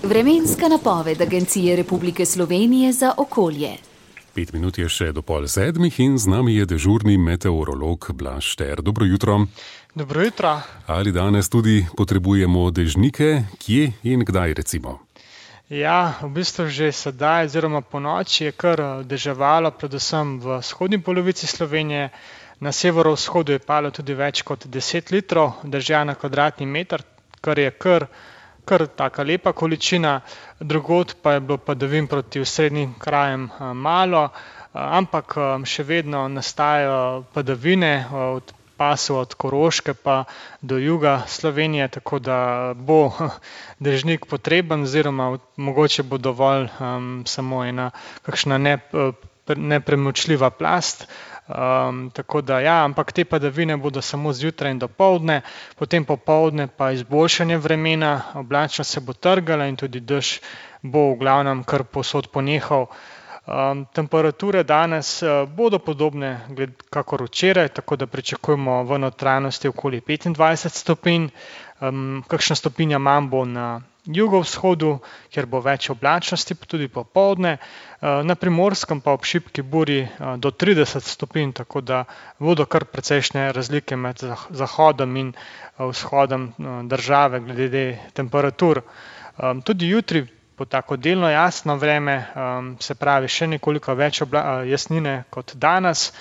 Vremenska napoved Agencije Republike Slovenije za okolje. 5 minut je še do 6:30 in z nami je dežurni meteorolog Blaž Šter. Dobro jutro. Dobro jutro. Ali danes tudi potrebujemo dežnike? Kje in kdaj recimo? Ja, v bistvu že sedaj oziroma ponoči je kar deževalo, predvsem v vzhodni polovici Slovenije. Na severovzhodu je palo tudi več kot 10 litrov dežja na kvadratni meter, kar je kar taka lepa količina. Drugod pa je bilo padavin proti osrednjim krajem malo, ampak še vedno nastajajo padavine od pasu od Koroške pa do juga Slovenije, tako da bo dežnik potreben oziroma mogoče bo dovolj samo ena kakšna nepremočljiva plast. Tako da ja, ampak te padavine bodo samo zjutraj in dopoldne, potem popoldne pa izboljšanje vremena, oblačnost se bo trgala in tudi dež bo v glavnem kar povsod ponehal. Temperature danes bodo podobne kakor včeraj, tako da pričakujemo v notranjosti okoli 25 stopinj, kakšna stopinja manj bo na jugovzhodu, kjer bo več oblačnosti, tudi popoldne, na Primorskem pa ob šibki burji do 30 stopinj, tako da bodo kar precejšnje razlike med zahodom in vzhodom države glede temperatur. Tudi jutri bo tako delno jasno vreme, se pravi še nekoliko več jasnine kot danes.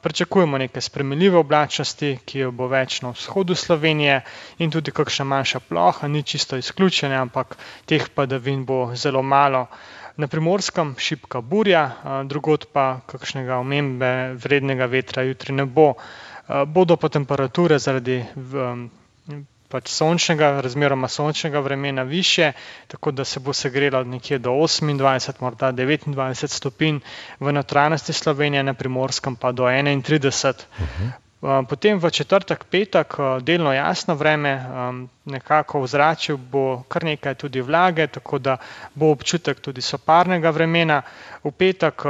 Pričakujemo neke spremenljive oblačnosti, ki jo bo več na vzhodu Slovenije in tudi kakšna manjša ploha, ni čisto izključena, ampak teh padavin bo zelo malo. Na Primorskem šibka burja, drugod pa kakšnega omembe vrednega vetra jutri ne bo. Bodo pa temperature zaradi sončnega, razmeroma sončnega vremena višje, tako da se bo segrelo nekje do 28, morda 29 stopinj v notranjosti Slovenije, na Primorskem pa do 31. Potem v četrtek, petek delno jasno vreme, nekako v zraku bo kar nekaj tudi vlage, tako da bo občutek tudi soparnega vremena. V petek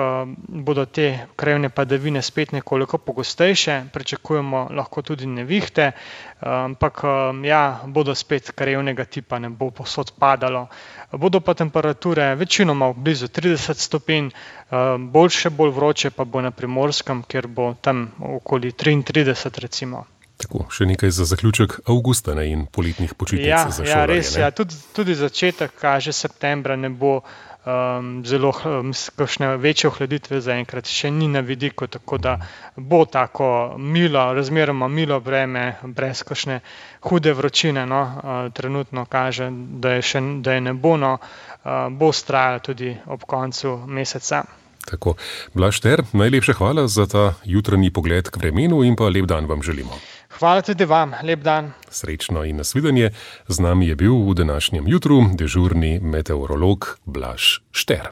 bodo te krajevne padavine spet nekoliko pogostejše, pričakujemo lahko tudi nevihte, ampak ja, bodo spet krajevnega tipa, ne bo povsod padalo. Bodo pa temperature večinoma blizu 30 stopinj, bolj vroče pa bo na Primorskem, kjer bo tam okoli 33 recimo. Tako, še nekaj za zaključek avgusta in poletnih počitnic za šolarje. Ja, res, ja, tudi začetek kaže septembra ne bo zelo kakšne večje ohladitve zaenkrat še ni na vidiku, tako da bo tako milo, razmeroma milo vreme, brez kakšne hude vročine, trenutno kaže, da je ne bo, bo vztrajalo tudi ob koncu meseca. Tako, Blaž Šter, najlepša hvala za ta jutranji pogled k vremenu in pa lep dan vam želimo. Hvala tudi vam, lep dan. Srečno in nasvidenje. Z nami je bil v današnjem jutru dežurni meteorolog Blaž Šter.